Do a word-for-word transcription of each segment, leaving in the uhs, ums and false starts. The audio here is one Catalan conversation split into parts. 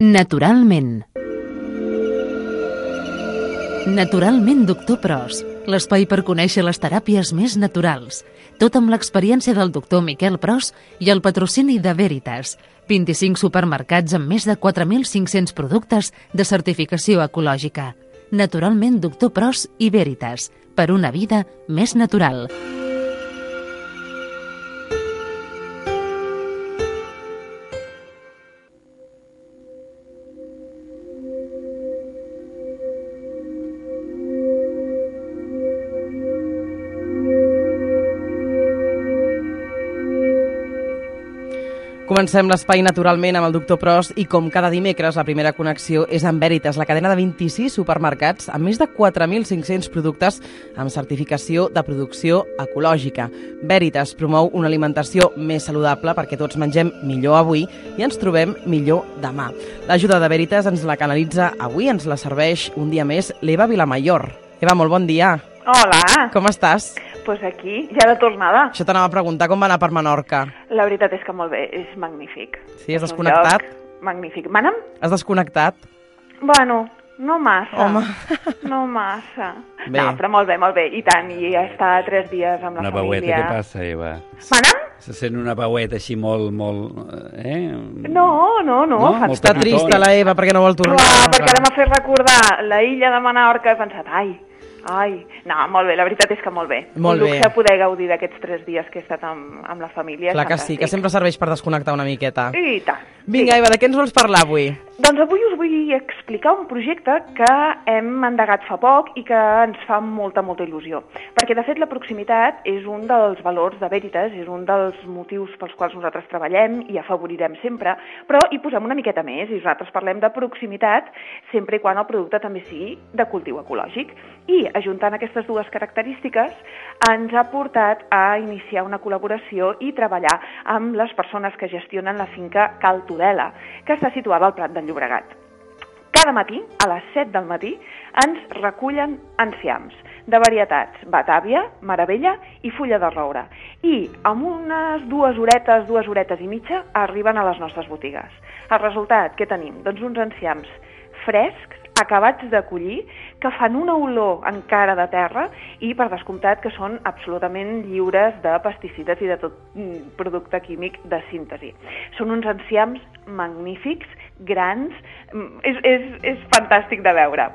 Naturalment. Naturalment, doctor Pros, l'espai per conèixer les teràpies més naturals. Tot amb l'experiència del doctor Miquel Pros i el patrocini de Veritas. vint-i-cinc supermercats amb més de quatre mil cinc-cents productes de certificació ecològica. Naturalment, doctor Pros i Veritas. Per una vida més natural. Comencem l'espai naturalment amb el doctor Pros i com cada dimecres la primera connexió és amb Veritas, la cadena de vint-i-sis supermercats amb més de quatre mil cinc-cents productes amb certificació de producció ecològica. Veritas promou una alimentació més saludable perquè tots mengem millor avui i ens trobem millor demà. L'ajuda de Veritas ens la canalitza avui, ens la serveix un dia més l'Eva Vilamayor. Eva, molt bon dia. Hola. Com estàs? Doncs pues aquí, ja de tornada. Això t'anava a preguntar com va anar per Menorca. La veritat és que molt bé, és magnífic. Sí, has desconnectat? Magnífic. Mana'm? Has desconnectat? Bueno, no massa. Home. No massa. Bé. No, però molt bé, molt bé. I tant, i estar tres dies amb la una família. Una veueta, què passa, Eva? Mana'm? Se sent una veueta així molt, molt... Eh? No, no, no. no? Està trista la Eva perquè no vol tornar. Clar, perquè ara m'ha fet recordar la illa de Menorca. He pensat, ai... Ai, no, molt bé, la veritat és que molt bé. Molt Un luxe bé. poder gaudir d'aquests tres dies que he estat amb, amb la família. Clar que sí, que sempre serveix per desconnectar una miqueta. I tant. Vinga, sí. Eva, de què ens vols parlar avui? Doncs avui us vull explicar un projecte que hem endegat fa poc i que ens fa molta, molta il·lusió. Perquè, de fet, la proximitat és un dels valors de Veritas, és un dels motius pels quals nosaltres treballem i afavorirem sempre, però hi posem una miqueta més i nosaltres parlem de proximitat sempre i quan el producte també sigui de cultiu ecològic. I, ajuntant aquestes dues característiques, ens ha portat a iniciar una col·laboració i treballar amb les persones que gestionen la finca Cal Tudela, que està situada al Prat del Llobregat. Cada matí, a les set del matí, ens recullen enciams de varietats Batàvia, Meravella i Fulla de Roure. I amb unes dues horetes, dues horetes i mitja, arriben a les nostres botigues. El resultat, què tenim? Doncs uns enciams frescs, acabats de collir, que fan una olor encara de terra i, per descomptat, que són absolutament lliures de pesticides i de tot producte químic de síntesi. Són uns enciams magnífics, grans, és, és, és fantàstic de veure.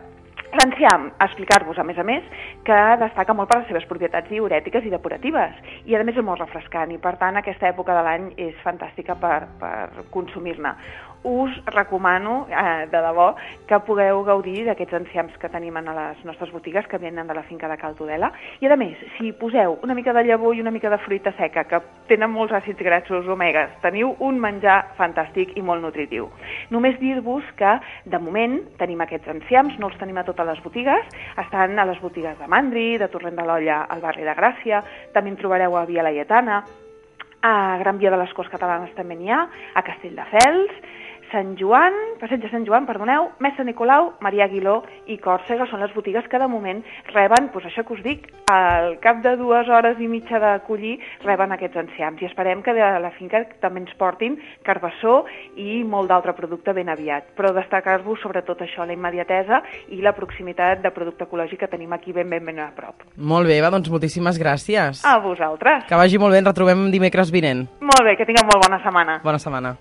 L'enciam, explicar-vos, a més a més, que destaca molt per les seves propietats diürètiques i depuratives, i a més és molt refrescant, i per tant aquesta època de l'any és fantàstica per, per consumir-ne. Us recomano, eh, de debò, que pugueu gaudir d'aquests enciams que tenim a les nostres botigues, que venen de la finca de Cal Tudela, i a més, si poseu una mica de llavor i una mica de fruita seca, que tenen molts àcids grassos omegues, teniu un menjar fantàstic i molt nutritiu. Només dir-vos que, de moment, tenim aquests enciams, no els tenim a totes les botigues, estan a les botigues de Mandri, de Torrent de l'Olla, al barri de Gràcia, també en trobareu a Via Laietana, a Gran Via de les Corts Catalanes també n'hi ha, a Castelldefels, Sant Joan, Passeig de Sant Joan, perdoneu, Messa Nicolau, Maria Aguiló i Còrsega són les botigues que de moment reben, doncs això que us dic, al cap de dues hores i mitja de collir reben aquests enciams, i esperem que de la finca també ens portin carbassó i molt d'altre producte ben aviat, però destacar-vos sobretot això, la immediatesa i la proximitat de producte ecològic que tenim aquí ben ben ben a prop. Molt bé, Eva, doncs moltíssimes gràcies. A vosaltres. Que vagi molt bé, ens retrobem dimecres vinent. Molt bé, que tingueu molt bona setmana. Bona setmana.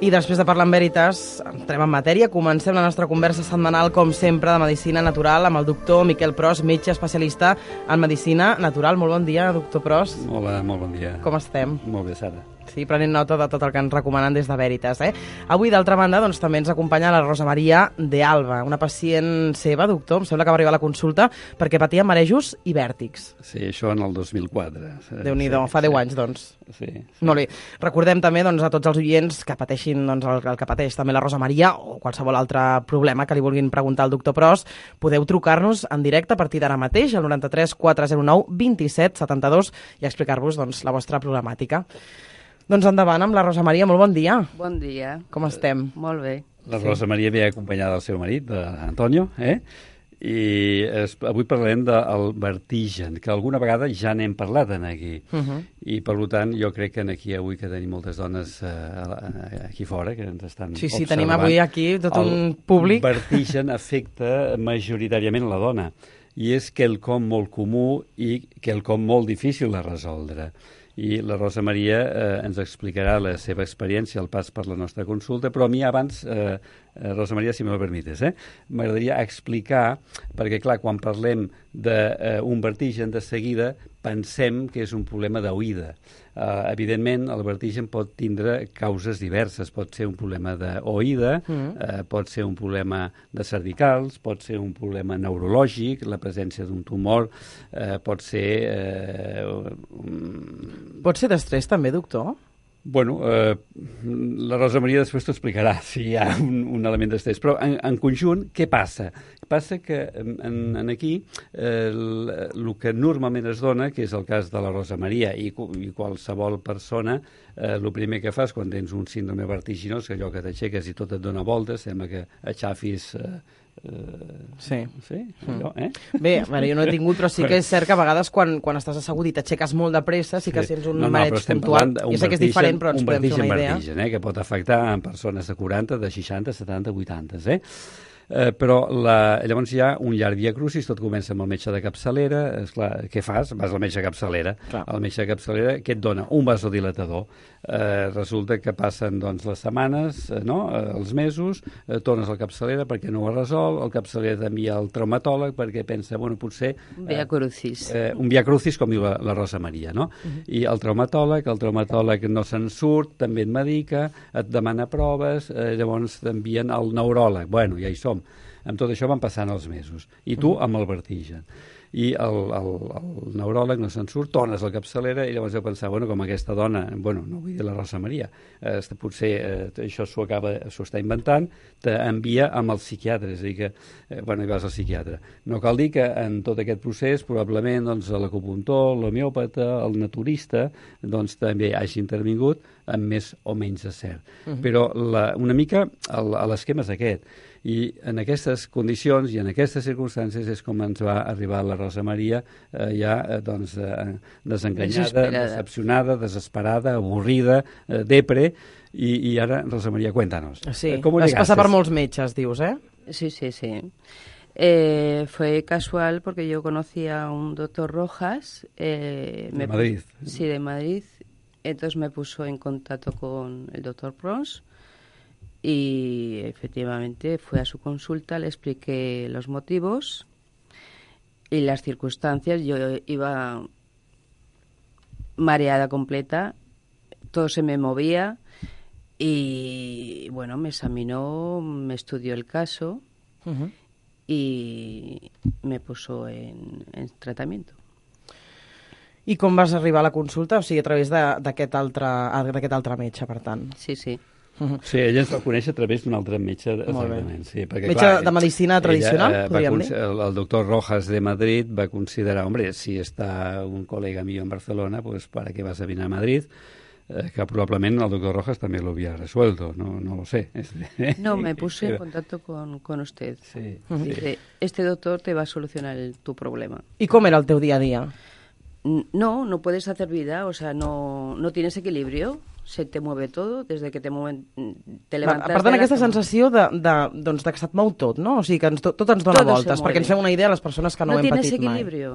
I després de parlar amb Veritas, entrem en matèria. Comencem la nostra conversa setmanal, com sempre, de Medicina Natural amb el doctor Miquel Pros, metge especialista en Medicina Natural. Molt bon dia, doctor Pros. Hola, molt bon dia. Com estem? Molt bé, Sara. Sí, prenent nota de tot el que ens recomanen des de Veritas. Eh? Avui, d'altra banda, doncs, també ens acompanya la Rosa Maria de Alba, una pacient seva, doctor, em sembla que va arribar a la consulta perquè patia marejos i vèrtics. Sí, això en el dos mil quatre. Déu-n'hi-do, sí, fa deu sí. anys, doncs. Sí, sí. Molt bé. Recordem també, doncs, a tots els oients que pateixin doncs, el, el que pateix també la Rosa Maria o qualsevol altre problema que li vulguin preguntar al doctor Pros, podeu trucar-nos en directe a partir d'ara mateix al noranta-tres quatre zero nou vint set setanta-dos i explicar-vos doncs, la vostra problemàtica. Doncs endavant amb la Rosa Maria, molt bon dia. Bon dia. Com estem? Molt bé. La Rosa Maria ve acompanyada del seu marit, d'Antonio, eh? I es, avui parlarem del vertigen, que alguna vegada ja n'hem parlat en aquí. Uh -huh. I, per tant, jo crec que aquí avui que tenim moltes dones eh, aquí fora que ens estan sí, sí, observant. tenim avui aquí tot un públic. El vertigen afecta majoritàriament la dona i és quelcom molt comú i quelcom molt difícil de resoldre. I la Rosa Maria eh, ens explicarà la seva experiència al pas per la nostra consulta, però a mi abans, eh, Rosa Maria, si me lo permites, eh, m'agradaria explicar, perquè clar, quan parlem d'un eh, vertigen de seguida pensem que és un problema d'oïda. Uh, evidentment, el vertigen pot tindre causes diverses. Pot ser un problema d'oïda, mm. uh, pot ser un problema de cervicals, pot ser un problema neurològic, la presència d'un tumor, uh, pot ser... Uh, um... Pot ser d'estrès també, doctor? Bueno, eh, la Rosa Maria després t'ho explicarà si hi ha un, un element d'estrès. Però en, en conjunt, què passa? Passa que en, en aquí eh, el, el que normalment es dona, que és el cas de la Rosa Maria i, i qualsevol persona, eh, el primer que fas quan tens un síndrome vertiginós, que allò que t'aixeques i tot et dona voltes, sembla que aixafis... Eh, Uh, sí. Sí? Allò, eh? Bé, bueno, jo no he tingut, però sí que és cert que a vegades quan, quan estàs assegut i t'aixeques molt de pressa sí que sí. Sents un no, no, mareig puntual. Jo sé que és diferent, però ens podem fer una idea. Un vertigen, eh, que pot afectar en persones de quaranta, de seixanta, setanta, vuitanta, eh? Eh, però la, llavors hi ha un llarg via crucis, tot comença amb el metge de capçalera. Esclar, què fas? Vas al metge de capçalera. Clar. El metge de capçalera, què et dona? Un vasodilatador. Eh, resulta que passen doncs, les setmanes, eh, no? eh, els mesos, eh, tornes a la capçalera perquè no ho resol, el capçalera t'envia al traumatòleg perquè pensa, bueno, potser... Un via crucis. Eh, un via crucis, com diu la, la Rosa Maria, no? Uh-huh. I el traumatòleg, el traumatòleg no se'n surt, també et medica, et demana proves, eh, llavors t'envien al neuròleg. Bueno, ja hi som. Amb tot això van passant els mesos. I tu amb el vertigen. I el, el, el neuròleg no se'n surt, tornes a la capçalera i llavors heu pensat, bueno, com aquesta dona, bueno, no vull dir la Rosa Maria, eh, potser eh, això s'ho acaba, s'ho està inventant, t'envia amb el psiquiatre, és a dir que, eh, bueno, hi vas al psiquiatre. No cal dir que en tot aquest procés, probablement, doncs, l'acupuntor, l'homeòpata, el naturista, doncs, també hagi intervingut amb més o menys de cert. Uh -huh. Però la, una mica l'esquema és aquest. I en aquestes condicions i en aquestes circumstàncies és com ens va arribar la Rosa Maria eh, ja eh, doncs, eh, desenganyada, decepcionada, desesperada, avorrida, eh, depre, i, i ara, Rosa Maria, cuéntanos. Sí, eh, vas passar per molts metges, dius, eh? Sí, sí, sí. Eh, fue casual porque yo conocí a un doctor Rojas. Eh, de me Madrid. Sí, de Madrid. Entonces me puso en contacto con el doctor Pros. Y efectivamente fui a su consulta, le expliqué los motivos y las circunstancias. Yo iba mareada completa, todo se me movía y bueno, me examinó, me estudió el caso uh-huh. y me puso en, en tratamiento. I com vas arribar a la consulta? O sigui, a través d'aquest altre, d'aquest altre metge, per tant. Sí, sí. Sí, ella ens va conèixer a través d'un altre metge. Sí, perquè, metge clar, de medicina tradicional, ella, eh, podríem dir? El, el doctor Rojas de Madrid va considerar, hombre, si està un col·lega mío en Barcelona, pues para qué vas a venir a Madrid, eh, que probablement el doctor Rojas també lo había resuelto, no, no lo sé. No, me puse en contacto con, con usted. Sí, Dice, sí. Este doctor te va a solucionar el, tu problema. I com era el teu dia a dia? No, no puedes hacer vida, o sea, no, no tienes equilibrio. Se te mueve todo, desde que te mueven, te levantes... Per tant, aquesta sensació de, de, doncs, de que se't mou tot, no? O sigui, que ens, tot, tot ens dona todo voltes, perquè ens fem una idea a les persones que no, no ho hem patit equilibrio.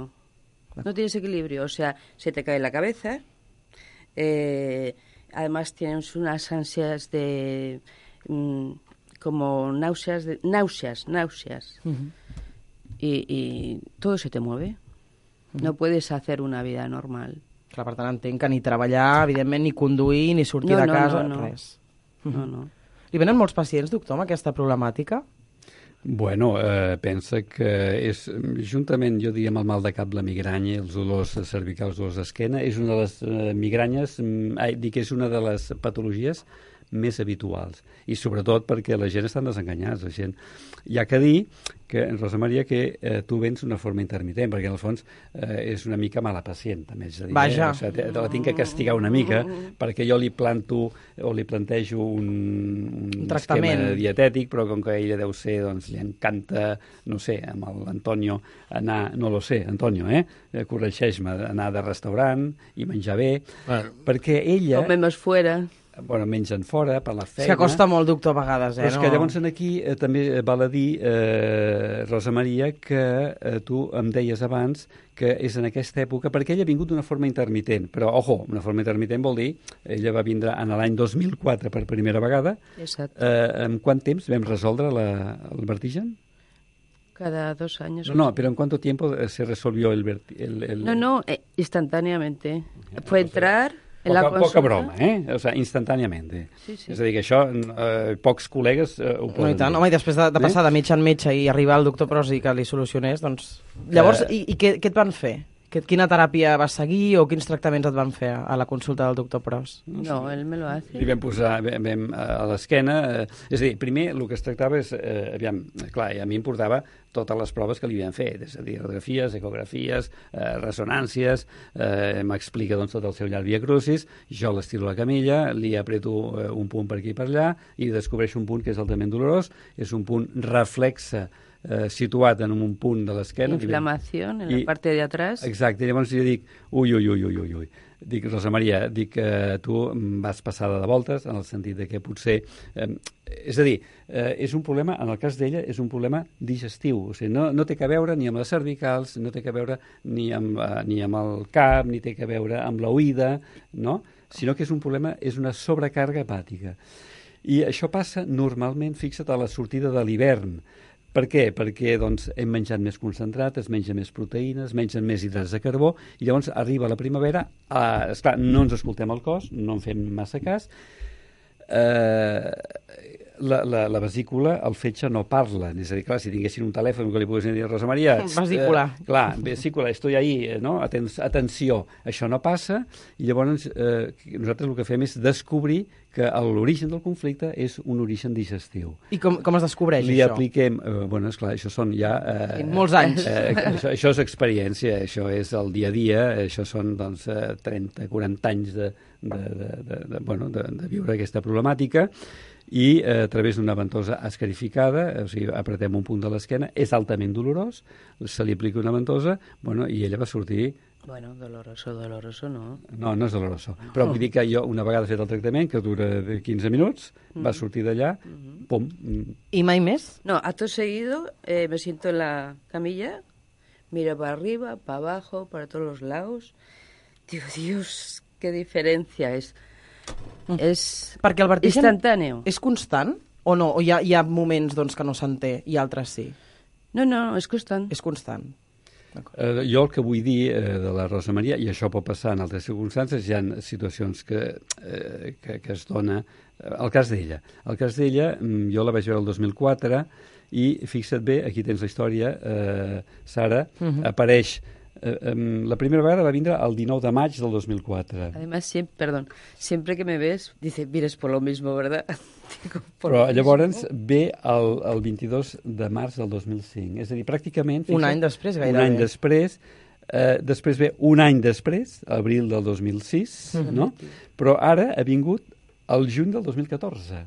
mai. No tienes equilibrio, o sea, se te cae la cabeza, eh, además tienes unas ansias de... Mm, como náuseas, de, náuseas, náuseas. Uh-huh. y, y todo se te mueve. Uh-huh. No puedes hacer una vida normal. Clar, per tant, entenc que ni treballar, evidentment, ni conduir, ni sortir no, de no, casa, no, no. res. No, no. Li venen molts pacients, doctor, amb aquesta problemàtica? Bueno, eh, pensa que és, juntament, jo diria, amb el mal de cap, la migranya, els dolors cervicals, els dolors d'esquena, és una de les eh, migranyes, eh, dic que és una de les patologies més habituals. I sobretot perquè la gent està desenganyada. La gent... Hi ha que dir que, Rosa Maria, que eh, tu vens d'una forma intermitent, perquè en el fons eh, és una mica mala pacient, també. És a dir, Vaja. Eh? O sigui, te, te la tinc que castigar una mica perquè jo li planto o li plantejo un, un, un esquema dietètic, però com que a ella deu ser, doncs li encanta, no sé, amb l'Antonio anar, no lo sé, Antonio, eh? Corregeix-me, anar de restaurant i menjar bé, bueno, perquè ella... Comemos fuera. Bueno, mengen fora, per la feina... És que costa molt, doctor, a vegades, eh? Però és que llavors aquí eh, també val a dir, eh, Rosa Maria, que eh, tu em deies abans que és en aquesta època, perquè ella ha vingut d'una forma intermitent, però, ojo, una forma intermitent vol dir, ella va vindre en l'any dos mil quatre per primera vegada. Exacte. Eh, en quant temps vam resoldre la, el vertigen? Cada dos años. No, no, pero ¿en cuánto tiempo se resolvió el... el, el... No, no, eh, instantáneamente. Fue entrar... En poca, la consulta. Poca broma, eh? O sigui, instantàniament. Sí, sí. És a dir, que això eh, pocs col·legues eh, ho poden no, i tant, dir. home, i després de, de passar eh? de metge en metge i arribar al doctor Pros i que li solucionés, doncs... Llavors, eh... i, i què, què et van fer? Quina teràpia vas seguir o quins tractaments et van fer a la consulta del doctor Pros? No, ell me lo hace. Li vam posar vam, vam, a l'esquena... Eh, és a dir, primer el que es tractava és... Eh, aviam, clar, a mi em portava totes les proves que li havien fet, és a dir, radiografies, ecografies, eh, ressonàncies, eh, m'explica doncs, tot el seu llarg via crucis, jo l'estiro a la camilla, li apreto eh, un punt per aquí i per allà i descobreixo un punt que és altament dolorós, és un punt reflexe Eh, situat en un punt de l'esquena. Inflamació en la part de atrás. Exacte, llavors jo dic, ui, ui, ui, ui, ui, ui. Dic, Rosa Maria, dic que eh, tu vas passada de voltes, en el sentit de que potser... Eh, és a dir, eh, és un problema, en el cas d'ella, és un problema digestiu. O sigui, no, no té que veure ni amb les cervicals, no té que veure ni amb, eh, ni amb el cap, ni té que veure amb l'oïda, no? Sinó que és un problema, és una sobrecàrrega hepàtica. I això passa normalment, fixa't, a la sortida de l'hivern. Per què? Perquè doncs, hem menjat més concentrat, es menja més proteïnes, es mengen més hidrats de carbó, i llavors arriba la primavera, eh, esclar, no ens escoltem el cos, no en fem massa cas, eh, la, la, la vesícula, el fetge no parla. És a dir, clar, si tinguessin un telèfon que li poguessin dir a Rosa Maria... Vesícula. Eh, clar, vesícula, estoy ahí, no? Aten atenció, això no passa, i llavors eh, nosaltres el que fem és descobrir que l'origen del conflicte és un origen digestiu. I com, com es descobreix, li això? Li apliquem... Eh, bueno, esclar, això són ja... Eh, molts anys. Eh, això, això és experiència, això és el dia a dia, això són doncs, trenta, quaranta anys de, de, de, de, de, bueno, de, de viure aquesta problemàtica, i eh, a través d'una ventosa escarificada, o sigui, apretem un punt de l'esquena, és altament dolorós, se li aplica una ventosa, bueno, i ella va sortir... Bueno, doloroso, doloroso no. No, no és doloroso. Però vull dir que jo, una vegada fet el tractament, que dura quinze minuts, mm. va sortir d'allà, mm. pum. I mai més? No, acto seguido eh, me siento en la camilla, miro para arriba, para abajo, para todos los lados. Digo, Dios, qué diferencia es. Mm. És Perquè el vertigen instantáneo. És constant o no? O hi ha, hi ha moments doncs, que no se'n té i altres sí? No, no, és constant. És constant. Eh, jo el que vull dir eh, de la Rosa Maria, i això pot passar en altres circumstàncies, hi ha situacions que, eh, que, que es dona... Eh, el cas d'ella. El cas d'ella, jo la vaig veure el dos mil quatre, i fixa't bé, aquí tens la història, eh, Sara, uh -huh. apareix... Eh, um, la primera vegada va vindre el dinou de maig del dos mil quatre. Además, siempre, perdón, siempre que me ves, dice, vienes por lo mismo, ¿verdad? Digo, por Però lo llavors mismo. ve el, el vint-i-dos de març del dos mil cinc. És a dir, pràcticament... Fixa't, un any després, gairebé. Un any després. Eh, després ve un any després, abril del dos mil sis, uh -huh. no? Però ara ha vingut el juny del dos mil catorze.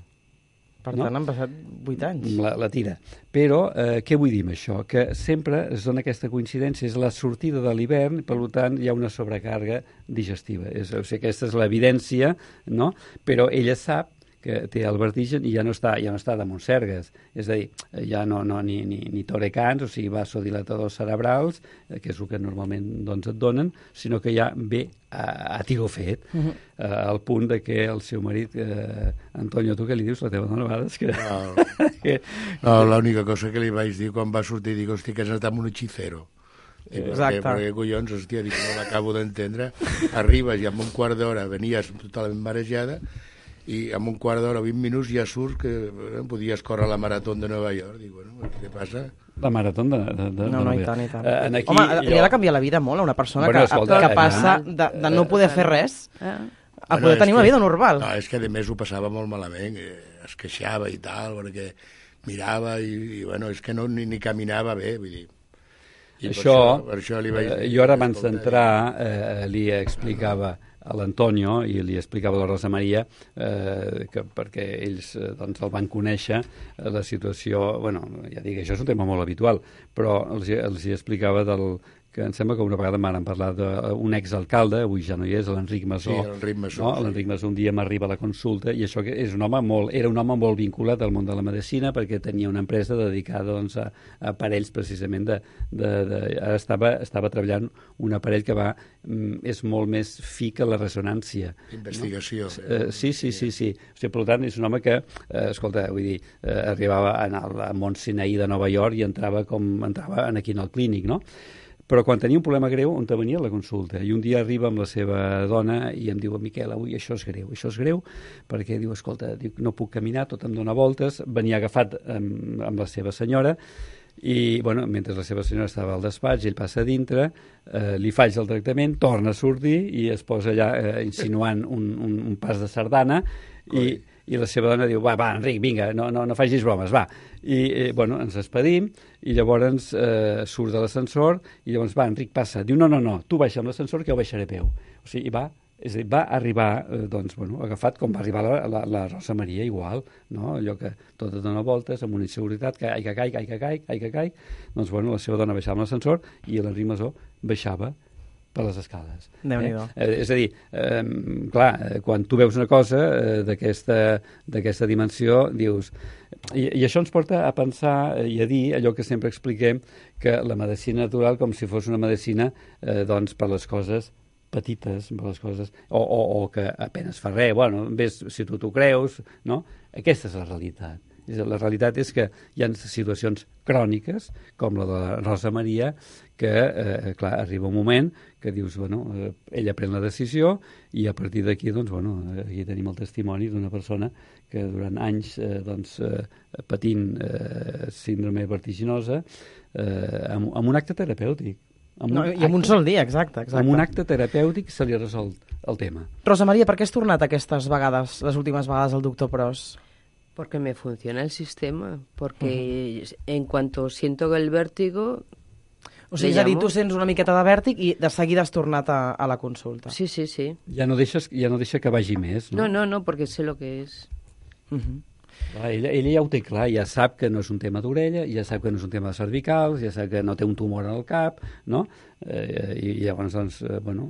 Per tant, no? Han passat vuit anys. La, la tira. Però, eh, què vull dir amb això? Que sempre es dona aquesta coincidència, és la sortida de l'hivern, per tant, hi ha una sobrecàrrega digestiva. És, o sigui, aquesta és l'evidència, no? Però ella sap que té el vertigen i ja no està, ja no està de Montsergues. És a dir, ja no, no ni, ni, ni torecans, o sigui, vasodilatadors cerebrals, eh, que és el que normalment doncs, et donen, sinó que ja ve a, a tiro fet, uh -huh. eh, al punt de que el seu marit, eh, Antonio, tu què li dius? La teva dona, a vegades que... No, que... no l'única cosa que li vaig dir quan va sortir, dic, hòstia, que has anat amb un hechicero. Exacte. Perquè, collons, hòstia, dic, no l'acabo d'entendre. Arribes i en un quart d'hora venies totalment marejada, i en un quart d'hora, vint minuts, ja surt que eh, podies córrer la marató de Nova York. Dic, bueno, què passa? La marató de, de, de No, no, i tant, i tant. Uh, aquí, Home, jo... li ha de canviar la vida molt a una persona bueno, que, escolta, que passa de, de no poder fer res Ah. a poder tenir una vida normal. No, és que a més ho passava molt malament, es queixava i tal, perquè mirava i, i bueno, és que no ni, ni caminava bé, vull dir. I això, per això, per això li vaig dir, eh, jo ara abans d'entrar eh, li explicava a l'Antonio i li explicava a la Rosa Maria eh, que perquè ells eh, doncs el van conèixer eh, la situació, bueno, ja dic, això és un tema molt habitual, però els, els hi explicava del que em sembla que una vegada m'han parlat d'un exalcalde, avui ja no hi és, l'Enric Masó. Sí, l'Enric Masó. No? Sí. L'Enric Masó un dia m'arriba a la consulta i això que és un home molt, era un home molt vinculat al món de la medicina perquè tenia una empresa dedicada doncs, a, a aparells precisament de... de, de ara estava, estava treballant un aparell que va és molt més fi que la ressonància. Investigació. No? Eh, sí, sí, sí, sí. O sigui, per tant, és un home que, eh, escolta, vull dir, eh, arribava al Mont Sinaí de Nova York i entrava com entrava aquí en el clínic, no? Però quan tenia un problema greu, on te venia a la consulta. I un dia arriba amb la seva dona i em diu, Miquel, avui això és greu, això és greu, perquè diu, escolta, diu, no puc caminar, tot em dóna voltes, venia agafat amb, amb la seva senyora, i, bueno, mentre la seva senyora estava al despatx, ell passa a dintre, eh, li faig el tractament, torna a sortir i es posa allà eh, insinuant un, un, un pas de sardana i, i la seva dona diu, va, va, Enric, vinga, no, no, no facis bromes, va. I, eh, bueno, ens despedim i llavors eh, surt de l'ascensor i llavors, va, Enric, passa. Diu, no, no, no, tu baixa amb l'ascensor que jo baixaré a peu. O sigui, va, és a dir, va arribar, eh, doncs, bueno, agafat com va arribar la, la, la Rosa Maria, igual, no? Allò que tot et dona voltes, amb una inseguretat, que ai que caic, ai que caic, ai que caic. Doncs, bueno, la seva dona baixava amb l'ascensor i l'Enric Masó baixava per les escales. Déu-n'hi-do. Eh? És a dir, eh, clar, quan tu veus una cosa eh, d'aquesta dimensió, dius... I, I això ens porta a pensar i a dir allò que sempre expliquem, que la medicina natural com si fos una medicina eh, doncs, per les coses petites, per les coses, o, o, o que apenas fa res, bueno, ves si tu t'ho creus, no? Aquesta és la realitat. La realitat és que hi ha situacions cròniques, com la de la Rosa Maria, que, eh, clar, arriba un moment que dius, bueno, eh, ella pren la decisió i a partir d'aquí, doncs, bueno, aquí tenim el testimoni d'una persona que durant anys, eh, doncs, eh, patint eh, síndrome vertiginosa, eh, amb, amb un acte terapèutic. Amb no, I amb acte, un sol dia, exacte, exacte. Amb un acte terapèutic se li ha resolt el tema. Rosa Maria, per què has tornat aquestes vegades, les últimes vegades al doctor Pros? Porque me funciona el sistema, porque uh-huh. en cuanto siento el vértigo... O sigui, és a dir, tu sents una miqueta de vèrtic i de seguida has tornat a, a la consulta. Sí, sí, sí. Ja no, deixes, ja no deixa que vagi més, no? No, no, no, porque sé lo que es. Uh-huh. Clar, ella, ella ja ho té clar, ja sap que no és un tema d'orella, ja sap que no és un tema de cervicals, ja sap que no té un tumor al cap, no? Eh, i, I llavors, doncs, eh, bueno,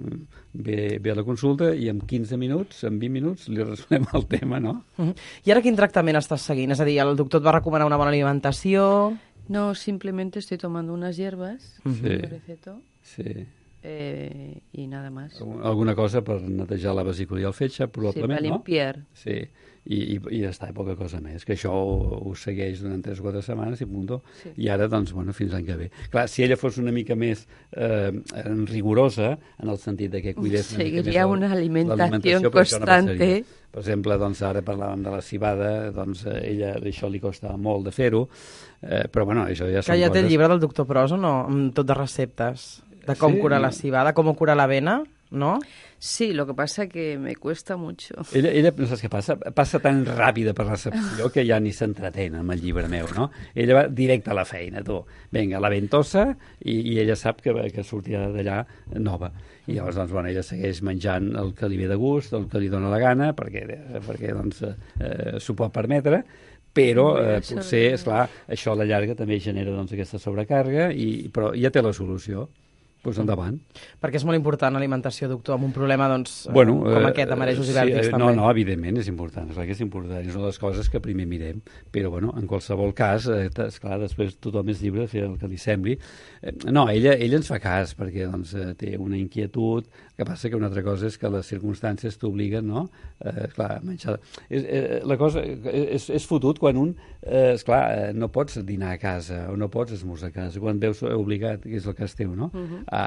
ve, ve a la consulta i en quinze minuts, en vint minuts, li resolem el tema, no? Uh-huh. I ara quin tractament estàs seguint? És a dir, el doctor et va recomanar una bona alimentació? No, simplemente estoy tomando unas hierbas, uh-huh. que me recetó. Sí. Eh, y nada más. Alguna cosa per netejar la vesícula i el fetge, probablement, sí, per limpiar. No? Sí, i, i, i ja està, poca cosa més, que això ho, ho segueix durant tres o quatre setmanes i punto, sí. I ara, doncs, bueno, fins l'any que ve. Clar, si ella fos una mica més eh, rigorosa, en el sentit de que cuidés una Seguiria mica més una alimentació constante. No per exemple, doncs, ara parlàvem de la cibada, doncs, a ella això li costa molt de fer-ho, eh, però, bueno, això ja són que ja coses... té el llibre del doctor Pros, o no? Amb tot de receptes. De com sí, curar la cibada, com curar la vena, ¿no? Sí, lo que pasa que me cuesta mucho. Ella, ella no saps què passa? Passa tan ràpida per recepció que ja ni s'entretén amb el llibre meu, no? Ella va directe a la feina, tu. Vinga, la ventosa, i, i ella sap que, que sortirà d'allà nova. I llavors, doncs, bueno, ella segueix menjant el que li ve de gust, el que li dona la gana, perquè, perquè doncs, eh, s'ho pot permetre, però eh, potser, esclar, això a la llarga també genera doncs, aquesta sobrecàrrega, i, però ja té la solució. Doncs endavant. Perquè és molt important l'alimentació, doctor, amb un problema doncs, bueno, com aquest, de marejos i vèrtics, sí, també. No, no, evidentment és important, és clar que és important, és una de les coses que primer mirem, però bueno, en qualsevol cas, eh, esclar, després tothom és lliure de fer el que li sembli. Eh, no, ella, ella ens fa cas, perquè doncs, eh, té una inquietud, que passa que una altra cosa és que les circumstàncies t'obliguen, no? Eh, clar, menjar... És, eh, la cosa és, és fotut quan un, eh, esclar, eh, no pots dinar a casa o no pots esmorzar a casa, quan veus obligat, que és el cas teu, no? Uh-huh. A,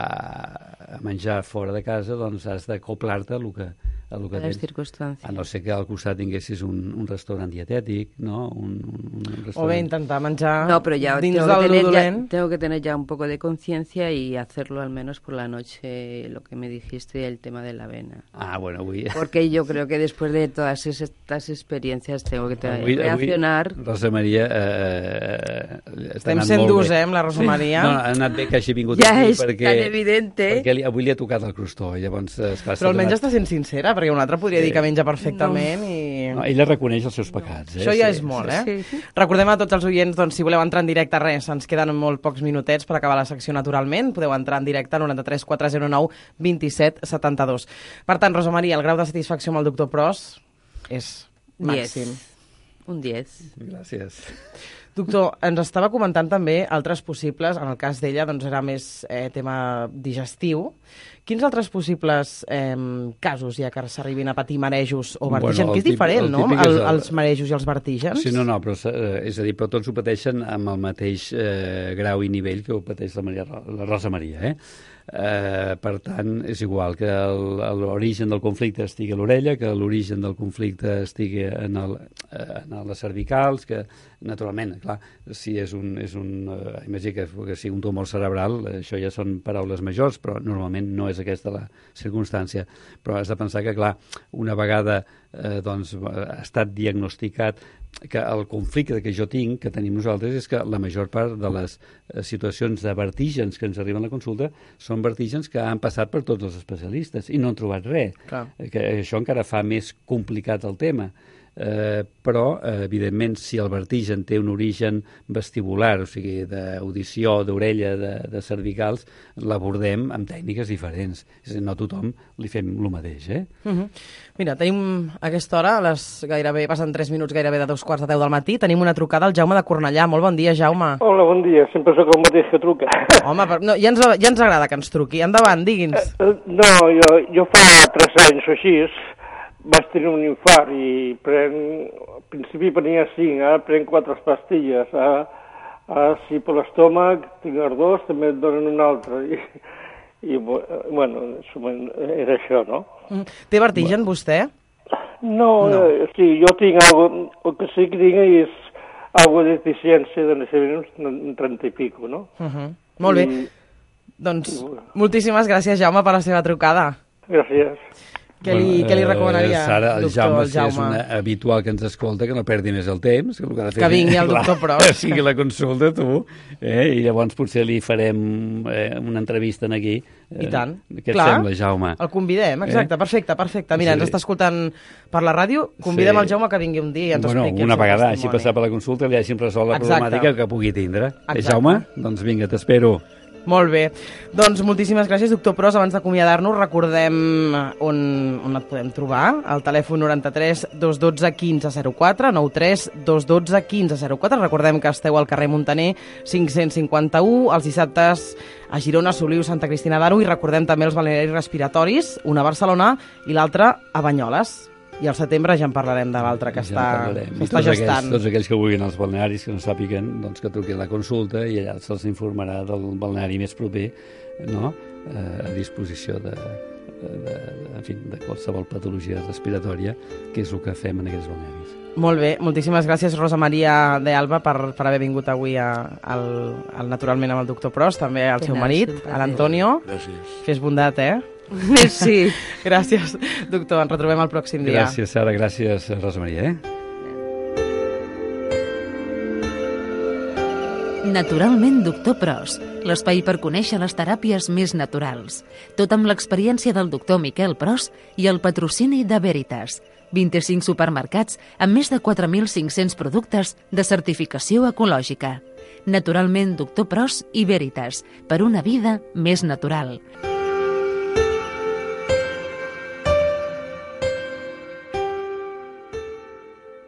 a menjar fora de casa, doncs has d'acoplar-te a, a el que a les tens. circumstàncies. A no ser que al costat tinguessis un, un restaurant dietètic, no? Un, un, un restaurant... O bé intentar menjar No, pero ya dins tengo del que, tener ya, dolent. tengo que tener ya un poco de conciencia y hacerlo al menos por la noche, lo que me dijiste, el tema de la avena. Ah, bueno, avui... Porque yo creo que después de todas estas experiencias tengo que Avui, reaccionar. avui, Rosa Maria... Eh, està Estem anant sent molt durs, bé. eh, amb la Rosa Maria. No, ha anat bé que hagi vingut Ja aquí és perquè, tan evidente. perquè li, avui li ha tocat el crostó. Llavors, esclar, Però almenys està sent sincera, perquè un altre podria Sí. dir que menja perfectament i... No, ella reconeix els seus pecats. Eh? Això ja Sí, és molt, sí, eh? sí. Recordem a tots els oients, doncs, si voleu entrar en directe, res, ens queden molt pocs minutets per acabar la secció naturalment. Podeu entrar en directe al noranta-tres quatre zero nou vint set setanta-dos. Per tant, Rosa Maria, el grau de satisfacció amb el doctor Pros és màxim. diez. Un diez. Gràcies. Doctor, ens estava comentant també altres possibles, en el cas d'ella doncs era més eh, tema digestiu. Quins altres possibles eh, casos hi ha que s'arribin a patir marejos o vertigen? Bueno, que el és diferent, típic- el no?, típic és el, el- els marejos i els vertígens. Sí, no, no, però eh, és a dir, però tots ho pateixen amb el mateix eh, grau i nivell que ho pateix la, Maria, la Rosa Maria, eh? Eh, per tant, és igual que el- l'origen del conflicte estigui a l'orella, que l'origen del conflicte estigui en, el, eh, en les cervicals, que naturalment, clar, si és un, és un eh, imagina que, que sigui un tumor cerebral, eh, això ja són paraules majors, però normalment no és aquesta la circumstància. Però has de pensar que, clar, una vegada eh, doncs, ha estat diagnosticat que el conflicte que jo tinc, que tenim nosaltres, és que la major part de les eh, situacions de vertígens que ens arriben a la consulta són vertígens que han passat per tots els especialistes i no han trobat res. Clar. Eh, Que això encara fa més complicat el tema. Eh, però, eh, evidentment, si el vertigen té un origen vestibular, o sigui, d'audició, d'orella, de, de cervicals, l'abordem amb tècniques diferents. És a dir, no a tothom li fem el mateix, eh? Uh -huh. Mira, tenim a aquesta hora, a les gairebé, passen tres minuts gairebé de dos quarts de deu del matí, tenim una trucada al Jaume de Cornellà. Molt bon dia, Jaume. Hola, bon dia. Sempre sóc el mateix que truca. Home, però, no, ja, ens, ja ens agrada que ens truqui. Endavant, digui'ns. Eh, No, jo, jo fa tres anys o així vaig tenir un infart i prenc, al principi prenia cinc, ara prenc quatre pastilles. Ara, ara si per l'estómac tinc ardors, també et donen una altra. I, i bueno, era això, no? Mm. Té vertigen, vostè? No, No. Eh, sí, jo tinc algo, el que sí que tinc és algo de deficiència de naixement, un trenta i pico, no? Uh -huh. Molt bé. I, Doncs moltíssimes gràcies, Jaume, per la seva trucada. gràcies. Què li, què li recomanaria, eh, Sara, el doctor, Jaume, el si és Jaume? una habitual que ens escolta, que no perdi més el temps. Que, el que, ha de fer Que vingui el clar, doctor Pros. Que sigui la consulta, tu. Eh? I llavors potser li farem eh, una entrevista en aquí. Eh, I tant. Què et Clar. sembla, Jaume? El convidem, exacte, Eh? perfecte, perfecte. Mira, Sí. ens està escoltant per la ràdio, convidem Sí. el Jaume que vingui un dia i ens Bueno, expliqui una el seu vegada, així testimoni. passar per la consulta, li hagin resolt la Exacte. problemàtica que pugui tindre. Eh, Exacte. Jaume? Doncs vinga, t'espero. Molt bé. Doncs moltíssimes gràcies, doctor Pros. Abans d'acomiadar-nos, recordem on, on et podem trobar. Al telèfon noranta-tres dos cents i dotze quinze zero quatre, nou tres dos cents i dotze quinze zero quatre. Recordem que esteu al carrer Montaner cinc-cents cinquanta-u, els dissabtes a Girona, Soliu, Santa Cristina d'Aro, i recordem també els balnearis respiratoris, una a Barcelona i l'altra a Banyoles. I al setembre ja en parlarem de l'altre que Ja en està, parlarem. que I està tots gestant. Aquells, tots aquells que vulguin als balnearis, que no sàpiguen, doncs que truquin a la consulta i allà se'ls informarà del balneari més proper, no? eh, a disposició de, de, de, en fi, de qualsevol patologia respiratòria, que és el que fem en aquests balnearis. Molt bé, moltíssimes gràcies, Rosa Maria de Alba, per, per haver vingut avui a, al, al Naturalment amb el doctor Pros, també al De seu nada, marit, és un plaer. a l'Antonio. Gràcies. Fes bondat, eh? Sí. Gràcies, doctor. Ens retrobem el pròxim dia. Gràcies, Sara, gràcies, Rosa Maria. Eh? Naturalment, doctor Pros, l'espai per conèixer les teràpies més naturals. Tot amb l'experiència del doctor Miquel Pros i el patrocini de Veritas. vint-i-cinc supermercats amb més de quatre mil cinc-cents productes de certificació ecològica. Naturalment, doctor Pros i Veritas, per una vida més natural.